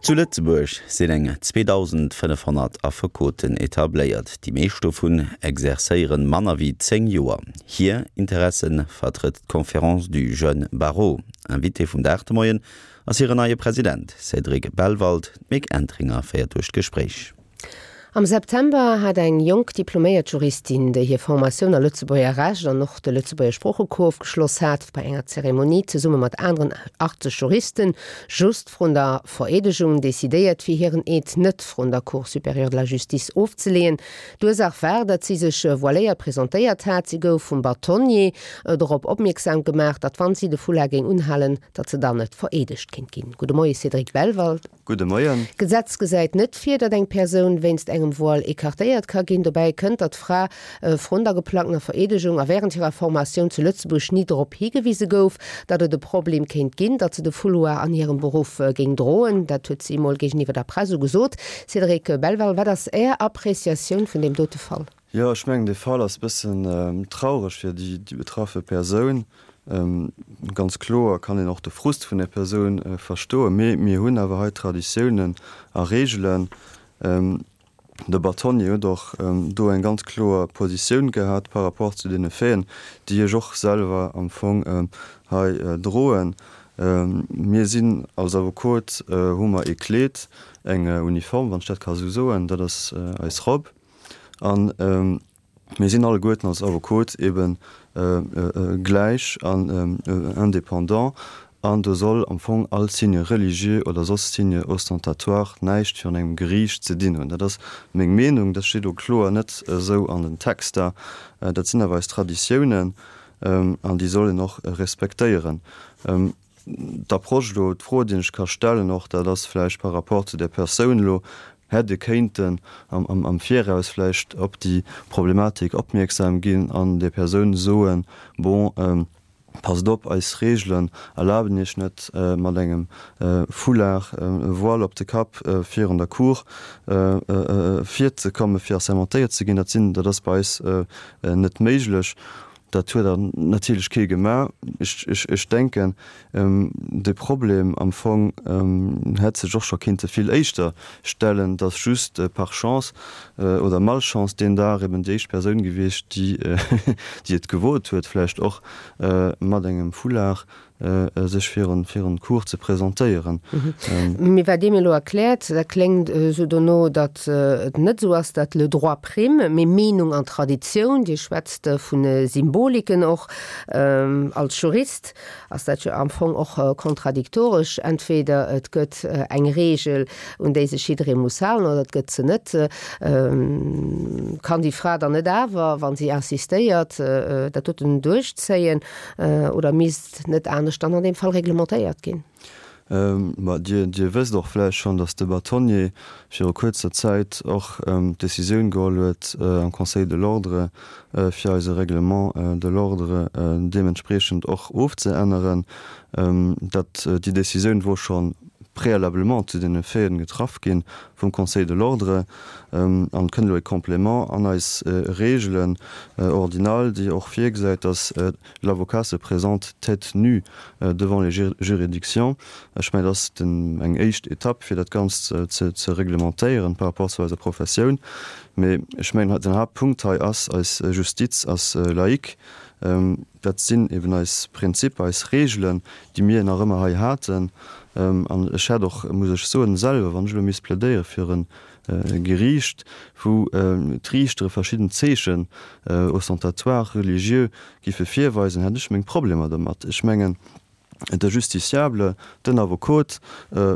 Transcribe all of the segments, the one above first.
Zu Lëtzebuerg sinn eng 2.500 Affekoten etabléiert. Déi meescht dovun exerzéieren manner wéi 10 Joer. Hir Interesse vertrëtt d'Conférence du Jeune Barreau. Invité vum Dag de Moien ass hiren neie President Cédric Bellwald. D'Mick Entringer féiert duerch d'Gespréich. Am September hat eng jonk diploméiert Juristin, déi hir Formatioun a Lëtzebuerger Recht an och de Lëtzebuerger Sproochecours ofgeschloss hat, bei enger Zeremonie zesumme mat aneren 80 Juristen just vrun der Vereedegung decidéiert, fir hiren Eed net vrun der Cour supérieure de la Justice ofzeleeën. D'Ursaach war, datt si sech voiléiert presentéiert hat. Si gouf vum Bâtonnier dorop opmierksam gemaach, datt wann si de Foulard géing unhalen, datt se dann net vereedegt kéint ginn. Gudde Moie Cédric Bellwald. Gudde Moien. D'Gesetz gesäit net vir, datt eng Persoun wéinst engem Voile écartéiert ka ginn. Dobäi kënnt, datt d'Fra vrun der geplangtener Vereedegung a wärend hirer Formatioun zu Lëtzebuerg ni drop higewise gouf, datt et e Problem kéint ginn, datt se de Fouloir an hirem Beruff géing droen. Dat huet si emol géigeniwwer der Press esou gesot. Cédric Belval, wat ass Är Appreciatioun vun deem dote Fall? Jo, ech mengen, dee Fall ass e bëssen traureg fir déi betraffe Persoun. Ganz kloer kann een och de Frust vun där Persoun verstoen, mee mir hunn awer hei Traditiounen a Reegelen. De Bâtonnier huet och do eng ganz kloer Positioun gehat par rapport zu deene Faiten, déi ech och selwer am Fong hei droen. Mir sinn als Avocate, hu mer ee Kleed, eng Uniform, wann ech dat ka sou soen, dat ass eis Robb. An mir sinn alleguerten als Avocate eben gläich an indépendant an do soll am Fong all Signe religieux oder soss Signe ostentatoire näischt virun engem Geriicht ze dinn hunn. Dat ass meng Meenung, dat steet elo kloer net esou an den Texter. Dat sinn awer eis Traditiounen an déi soll een och respektéieren. D'Approche elo, d'Fro, déi ech ka stellen och, dat ass vläicht par rapport zu där Persoun elo, Hätt ee kéinten am Viraus vläicht op déi Problematik opmierksam ginn an där Persoun soen, Bon, passt op, eis Reegelen erlaben Iech net, mat engem Foulard, e Voile op de Kapp virun der Cour virzekommen, fir assermentéiert ze ginn. Dat sinn, dat ass bei eis net méiglech. Dat huet awer natierlech kee gemaach. Ech denken, de Problem am Fong hätt sech och scho kinnte vill éischter stellen. Et ass just par chance oder malchance deen Dag eben déi éischt Persoun gewiescht, déi et gewot huet, vläicht och mat engem Foulard sech virun d'Cour ze presentéieren. Mee wat Dir mir elo erkläert, dat kléngt esou dono, datt et net esou ass, datt le droit prime, mee Meenung an Traditioun. Dir schwätzt vu Symboliken och. Als Jurist ass dat jo am Fong och kontradiktoresch. Entweder et gëtt eng Reegel, un déi sech jidderee muss halen, oder et gëtt se net. Kann déi Fra dann net awer, wa si insistéiert, dat doten duerchzéien? Oder misst net anescht dann an deem Fall reglementéiert ginn? Ma Dir, Dir wësst och vläicht schonn, datt de Bâtonnier viru kuerzer Zäit och d'Décisioun geholl huet am Conseil de l'Ordre, fir eise Règlement de l'ordre deementspriechend och ofzeänneren. Dat, déi Décisioun wor scho préalablement zu deene Faiten getraff gi vum Conseil de l'Ordre. An et kënnt elo e Complément an eis Reegelen ordinales, déi och virgesäit, dass l'avocat se présente tête nue devant les juridictions. Ech mengen, dat ass eng éischt Etapp, fir dat Ganzt ze reglementéieren par rapport zu eiser Professioun. Mee ech mengen, den Haaptpunkt hei ass, eis Justiz ass laïque. Dat sinn eben eis Prinzipper, eis Reegelen, déi mir nach ëmmer hei haten. An ech hätt och, muss ech soen, selwer, wann ech elo misst plädéiere fir e Geriicht, wou d'Riichtere verschidden Zeechen ostentatoires, religieux giffe virweisen, hätt ech meng Problemer domat. Ech mengen, de Justiciable, den Avocot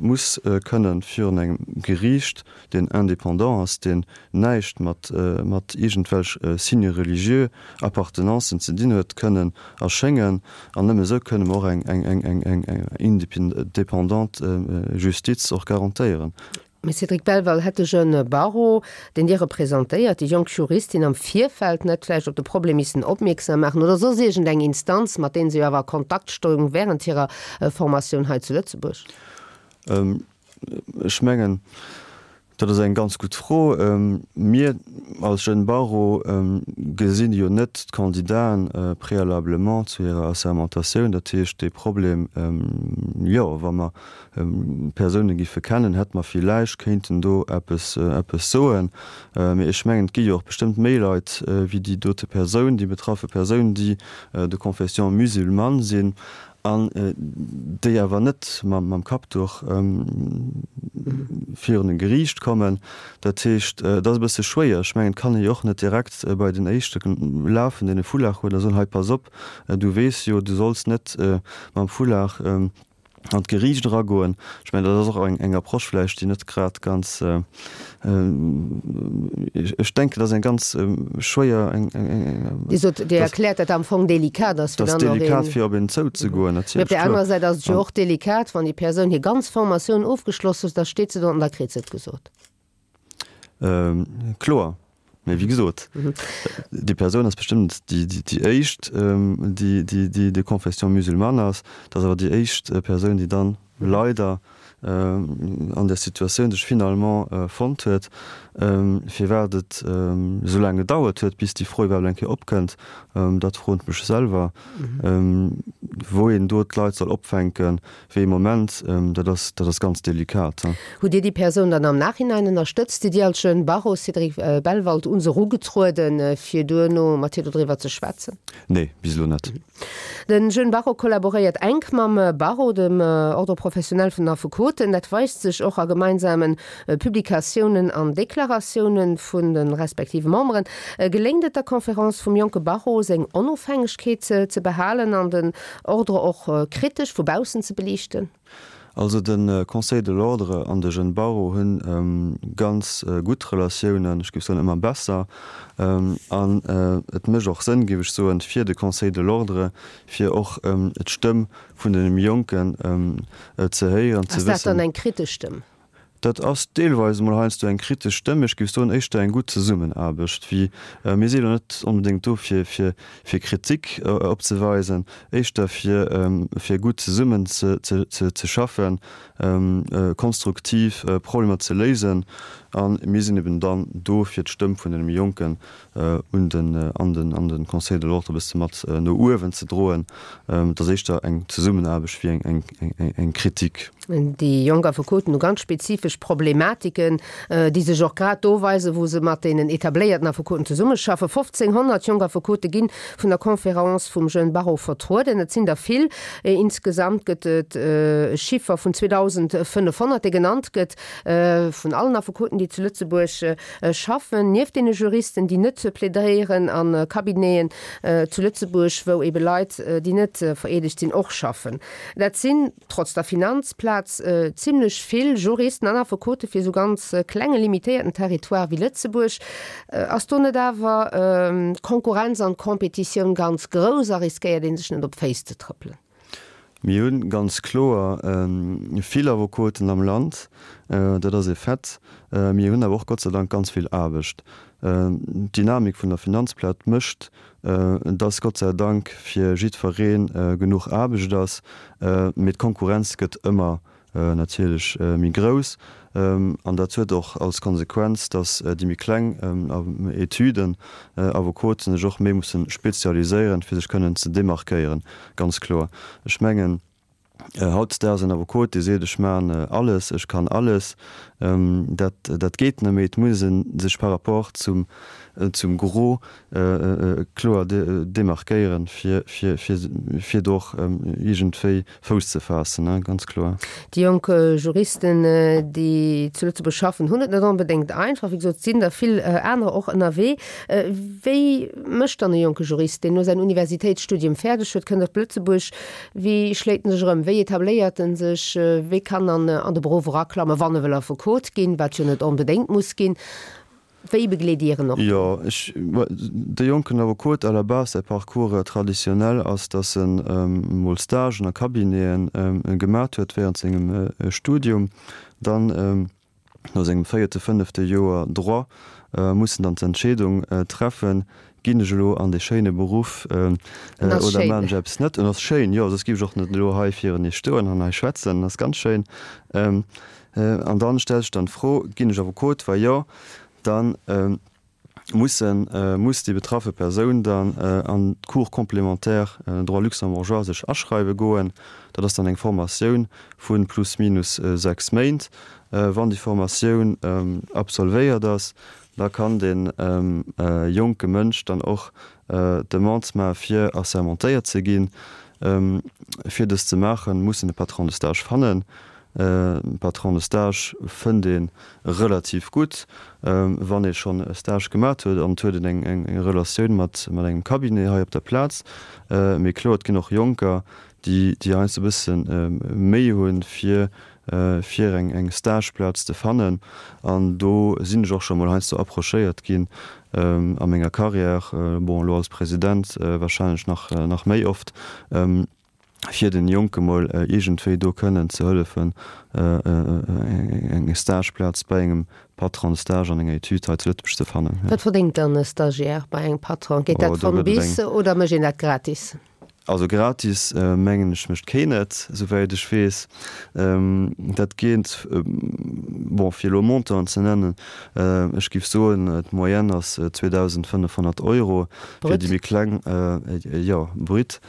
muss kënnen virun engem Geriicht, deen indépendant ass, deen näischt mat mat iergendwelch Signes religieux, Appartenancen ze dinn huet, kënnen erschéngen. An nëmme esou kënne mer och eng eng eng eng indépendante Justiz och garantéieren. Mme Cédric Belval, Hätt de jeune Barreau, deen Dir representéiert, déi jonk Juristin am Virfeld net vläicht op de Problem missen opmierksam maachen oder soss iergend eng Instanz, mat deenen se jo awer a Kontakt stoung während hirer Formatioun hei zu Lëtzebuerg? Ech mengen, Dat ass eng ganz gutt Fro. Mir als Jeunes Barreau gesinn jo net d'Candidaten préalablement zu hirer Assermentatioun. Dat heescht, dee Problem, jo, wa mer Persoune giffe kennen, hätte mer villäicht kéinten do eppes, eppes soen. Mee ech mengen, et gi jo och bestëmmt méi Leit wéi déi dote Persoun, déi betraffe Persoun, déi de confession musulmane sinn an déi awer net mam Kappduch virun e Geriicht kommen. Dat heescht, et ass e bësse schwéier. Ech mengen, et kann ee jo och net direkt bei den Éischte lafen, deen e Foulard huet, a soen, Hei, pass op, du weess jo, du solls net mam Foulard an d'Geriicht eragoen. Ech mengen, dat ass och eng Approche vläicht, déi net grad ganz, ech denken, dat ass eng ganz schwéier, eng, eng. Dir sot, Dir erkläert, dat am Fong delikat ass, fir dann och een. Dat ass delikat, fir op een zouzegoen, natierlech, kloer. Mee op där anerer Säit ass et jo och delikat, wann déi Persoun hir ganz Formatioun ofgeschloss huet, da steet se do an da kritt se et gesot. Kloer, mee wéi gesot, déi Persoun ass bestëmmt déi éischt, déi de confession musulmane ass. Dat ass awer déi éischt Persoun, déi dann leider an där Situatioun sech finalement fonnt huet. Firwat et esou laang gedauert huet, bis déi Fro iwwerhaapt eng Kéier opkënnt, dat froen ech mech selwer. Wou een do d'Leit soll opfänken, Wéi ee Moment, dat ass, dat ass ganz delikat. Hutt Dir déi Persoun dann am Nachhinein ënnerstëtzt? Sidd Dir als Jeune Barreau, Cédric Bellwald, un se erugetrueden, fir duerno mat hir dodriwwer ze schwätzen? Nee, bis elo net. De Jeune Barreau kollaboréiert enk mam Barreau, dem Ordre professionnel vun den Affekoten. Dat weist sech och a gemeinsame Publikatiounen an Deklaratiounen vun de respektive Memberen. Geléngt et der Conférence vum jonke Barreau, seng Onofhängegkeet ze behalen an den Ordre och kritesch vu baussen ze beliichten? Also de Conseil de l'Ordre an de Jeunes Barreau hu ganz gutt Relatiounen, ech géif soen ëmmer besser. An et mécht och Sënn, géif ech soen, fir de Conseil de l'Ordre, fir och d'Stëmm vun deene méi Jonken ze héieren, ze wëssen. Ass dat dann eng kritesch Stëmm? Dat ass deelweis emol heiansdo eng kritesch Stëmm, ech géif soen éischter eng gutt Zesummenaarbecht, wéi mir si elo net onbedéngt do fir fir Kritik opzeweisen, éischter fir fir gutt zesummen ze ze schaffen, konstruktiv Problemer ze léisen a mir sinn eben dann do fir d'Stëmm vun deene méi Jonken un den, an den, an den Conseil de l'Ordre e bësse mat no uewen ze droen. Et ass éischter eng Zesummenaarbecht wéi eng, eng, eng Kritik. Déi jonk Affekoten hu ganz spezifesch Problematiken, déi sech och grad do weisen, wou se mat deenen etabléierten Affekoten zesummeschaffen. 1.500 jonk Affekote gi vun der Conférence vum Jeune Barreau vertrueden. Et sinn der vill. Insgesamt gëtt et e Chiffer vun 2.500, dee genannt gëtt vun allen Affekoten, déi zu Lëtzebuerg schaffen, nieft deene Juristen, déi net plädéieren a Cabineten zu Lëtzebuerg, wou ebe Leit, déi net vereedegt sinn, och schaffen. Dat sinn, trotz der Finanzplaz, zimlech vill Juristen an Affekote fir esou ganz klenge, limitéierten Territoire wéi Lëtzebuerg. Ass do net awer d'Konkurrenz an d'Competitioun ganz grouss a riskéiert ee sech net op d'Féiss ze trëppelen? Mir hu ganz kloer vill Avocoten am Land, dat ass e Fait. Mir hunn awer och Gott sei Dank ganz vill Aarbecht. D'Dynamik vun der Finanzplaz mécht, dass Gott sei Dank fir jiddweree genuch Aarbecht ass. Mee d'Konkurrenz gëtt ëmmer natierlech méi grouss. An dat huet och als Konsequenz, dass déi méi kleng Etüden, Avocoten sech och méi musse spezialiséieren, fir sech kënnen ze demarquéieren, ganz kloer. Ech mengen, hautdesdaags en Avocot, dee seet, ech maachen alles, ech kann alles, dat, dat geet net méi. Et muss ee sech par rapport zum, zum Gros kloer demarquéieren, fir, fir, fir, fir do och iergendwéi Fouss ze faassen, ganz kloer. Déi jonk Juristen, déi zu Lëtzebuerg schaffen, hunn et net onbedéngt einfach. Wéi gesot, et sinn der vill anerer och ënnerwee. Wéi mécht dann e jonke Jurist, deen elo säin Universitéitsstudium fäerdeg huet, kënnt op Lëtzebuerg, wéi schléit en sech erëm, wéi etabléiert en sech, wéi kann en an de Beruff eraklammen, wann e wëll Affekot ginn, wat jo net onbedéngt muss ginn? Wéi begleet Dir en och do? Jo, ech, de jonken Affekot à la base, säi Parcours traditionnel ass, dass en emol Stagen a Cabineten gemat huet während sengem Studium. Dann no sengem véierte, fënnefte Joer Droit muss en dann d'Entscheedung treffen, Ginn ech elo an dee schéine Beruff oder maachen ech eppes net? En ass schéin, jo, soss géif ech och net elo hei virun Iech stoen an hei schwätzen. En ass ganz schéin. An dann stellt sech dann d'Fro, Ginn ech Affekot? Wa jo, dann mussen, muss déi betraffe Persoun dann an d'Cours complémentaire droit luxembourgeois sech aschreiwe goen. Dat ass dann eng Formatioun vu plus minus 6 Méint. Wann déi Formatioun absolvéiert ass, da kann dee jonke Mënsch dann och d'Demande maache fir assermentéiert ze ginn. Fir dëst ze maachen, muss en e Patron de stage fannen. E Patron de stage fënnt ee relativ gutt, wann ee schonn e Stage gemat huet an et huet een eng Relatioun mat engem Cabinet hei op der Plaz. Mee kloer, et ginn och Jonker, déi heiansdo e bësse Méi hunn, fir fir eng eng Stageplaz ze fannen an do sinn ech och scho mol heiansdo approchéiert ginn a menger Carrière, bon elo als President wahrscheinlech nach nach méi oft, fir den Jonke mol iergendwéi do kënnen ze hëllefen eng Stageplaz bei engem Patron de stage an enger Etüd hei zu Lëtzebuerg ze fannen. Wat verdéngt dann e Stagiaire bei engem Patron? Geet dat von bis oder mécht een dat gratis? Also gratis mengen ech mécht keen et, souwäit ech weess. Dat geet, bon fir elo Montanten ze nennen, ech géif soen d'Moyenne ass 2.500 Euro fir déi méi kleng, jo brut.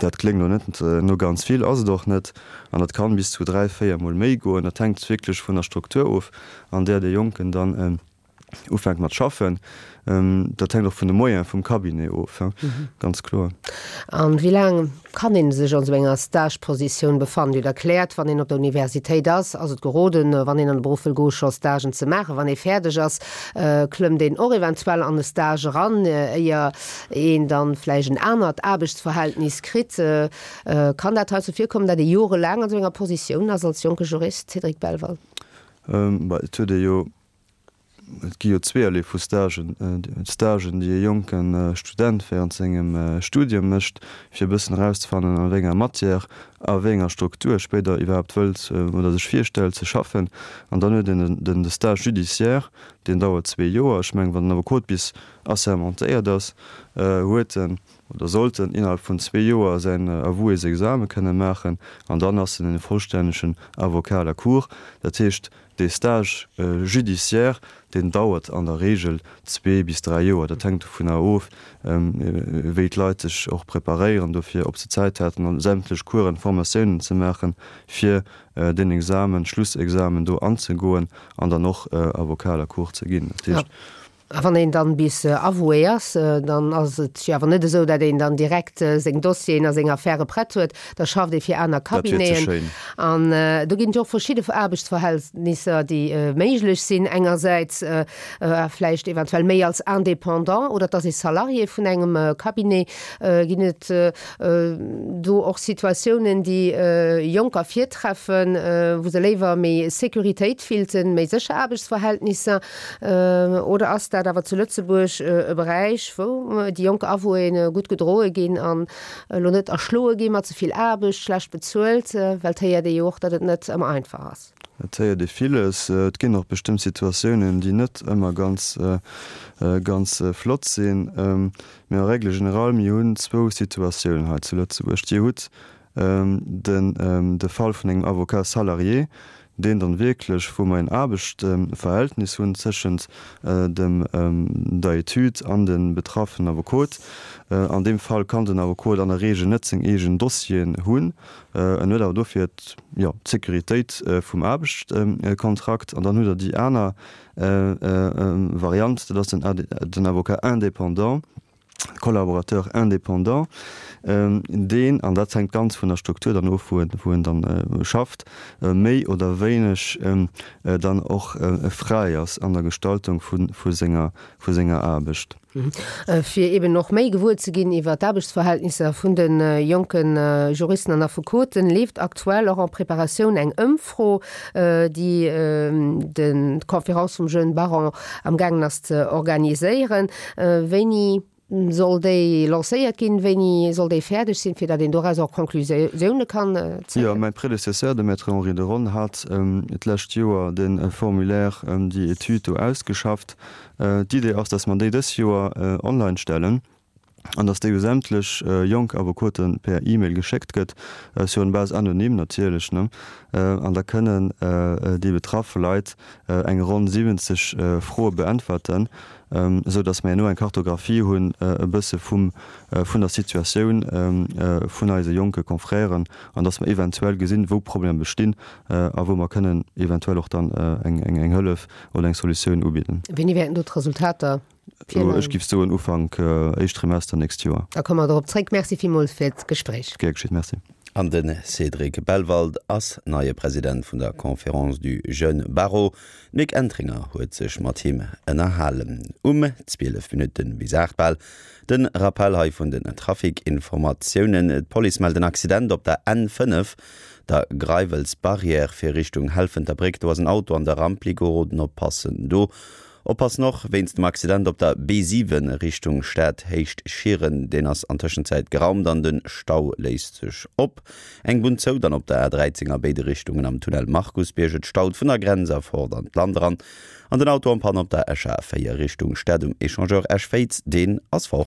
Dat kléngt elo net no ganz vill, ass et och net. An dat kann bis zu 3, 4 mol méi goen. Dat hänkt wierklech vun der Struktur of an där dee Jonken dann ufänkt mat schaffen. Dat hänkt och vun de Moyene vum Cabinet of, ganz kloer. A wéi laang kann ee sech an esou enger Stagepositioun befannen? Dir hutt erkläert, wann een op der Universitéit ass, ass et geroden, wann een an de Beruff wëll goen, scho Stagen ze maachen. Wann ee fäerdeg ass, klëmmt een och eventuell an e Stage eran, éier een dann vläicht en anert Aarbechtsverhältnis kritt. Kann dat heizou virkommen, datt ee jorelaang an esou enger Positioun ass als jonke Jurist, Cédric Belval? Et huet ee jo Et gi jo zweeërlee vu Stagen. Stagen, déi e jonke Student während sengem Studium mécht, fir e bëssen erauszefannen, a wéi enger Matière, a wéi enger Struktur e spéider iwwerhaapt wëllt oder sech virstellt ze schaffen. An dann huet een den de Stage judiciaire, deen dauert zwee Joer. Ech mengen, wann den Affekot bis assermentéiert ass, huet en oder sollt en innerhalb vun zwee Joer säin Avoués-Exame kënne maachen an dann ass en e vollstännegen Avocat à la cour. Dat heescht, Dee Stage judiciaire, deen dauert an der Regel zwee bis dräi Joer. Dat hänkt dovunner of, wéi d'Leit sech och preparéieren dofir, ob se Zäit haten, sämtlech Coursen, Formatiounen ze maachen, fir deen Examen, Schlussexamen do anzegoen an dann och Avocat à la cour ze ginn. Dat heescht. A wann een dann bis avoué ass, dann ass et jo awer net esou, datt een dann direkt seng Dossieren a seng Affäre prett huet. Da schafft ee fir aner Cabineten. An do ginn et jo och verschidde Aarbechtsverhältnisser, déi méiglech sinn. Engersäits vläicht eventuell méi als Indépendant oder et ass ee Salarié vun engem Cabinet. Ginn et do och Situatiounen, déi Jonker virtreffen, wou se léiwer méi Sécuritéit fillten, méi sécher Aarbechtsverhältnisser? Oder ass dat awer zu Lëtzebuerg e Beräich, wou déi jonk Avouéë gutt gedroe ginn an elo net erschloe gi mat ze vill Aarbecht, schlecht bezuelt? Well et héiert ee jo och, datt et net ëmmer einfach ass. Et héiert ee villes. Et ginn och bestëmmt Situatiounen, déi net ëmmer ganz, ganz flott sinn. Mee en règle générale, mir hunn zwou Situatiounen hei zu Lëtzebuerg. Dir hutt den de Fall vun engem Avocat salarié, deen dann wierklech, wou mer een Aarbechtsverhältnis hunn tëschent dem der Etüd an dem betraffenen Avocot. An deem Fall kann den Avocot an der Regel net seng eegen Dossieren hunn, en huet awer dofir jo d'Sécuritéit vum Aarbechtskontrakt. An dann hutt Der déi aner Variant, dat ass den Avocat indépendant, Collaborateur indépendant, deen, an dat hänkt ganz vun der Struktur dann of, wou en, wou en dann schafft, méi oder wéineg dann och fräi ass an der Gestaltung vu, vu senger, vu senger Aarbecht. Fir eben och méi gewuer ze ginn iwwer d'Aarbechtsverhältnisser vun de jonke Juristen an Affekoten, leeft aktuell och en Preparatioun eng Ëmfro, déi d'Conférence vum Jeune Baron amgaangen ass ze organiséieren. Wéini. soll déi lancéiert ginn? Wéini soll déi fäerdeg sinn, fir datt een doraus och Conclusioune kann zéien? Jo, mäi Prédécesseur, de Maître Henri de Ronne, hat d'lescht Joer de Formulaire, déi Etüd do ausgeschafft. D'Idee ass, datt mer déi dës Joer online stellen an datt déi u sämtlech jonk Avocote per E-Mail geschéckt gëtt, sur une base anonyme natierlech, ne? An da kënnen déi betraffe Leit eng ronn 70 Froe beäntwerten, esou datt mer herno eng Kartographie hunn e bësse vum, vun der Situatioun vun eise jonke Confrèren an datt mer eventuell gesinn, wou Problemer bestinn a wou mer kënnen eventuell och dann eng, eng Hëllef oder eng Solutioun ubidden. Wéini wäerten do d'Resultater virleien? Ech géif soen Ufank éischt Trimester nächst Joer. Da komme mer dorop zréck. Merci villmools fir d'Gespréich. Gär geschitt. Merci. An de Cédric Bellwald ass neie President vun der Conférence du Jeune Barreau. D'Mick Entringer huet sech mat him ënnerhalen. Um 12 Minutte bis 8 bal de Rappell hei vun den Trafic-Informatiounen. D'Police mellt en Accident op der N5, der Greiwels-Barrière fir Richtung Helfenterbréck. Do ass en Auto an de Rampli geroden. Oppassen do Oppassen och wéinst dem Accident op der B7 Richtung Stad Héicht Schieren, deen ass an Tëschenzäit geraumt an de Stau léist sech op. Eng Bunn zou dann op der A13 a béide Richtungen am Tunnel Markusbierg. Et staut vun der Grenz erfort an d'Land eran an den Auto en panne op der Escher A4 Richtung Stad um Echangeur Esch-Féiz, deen ass fort.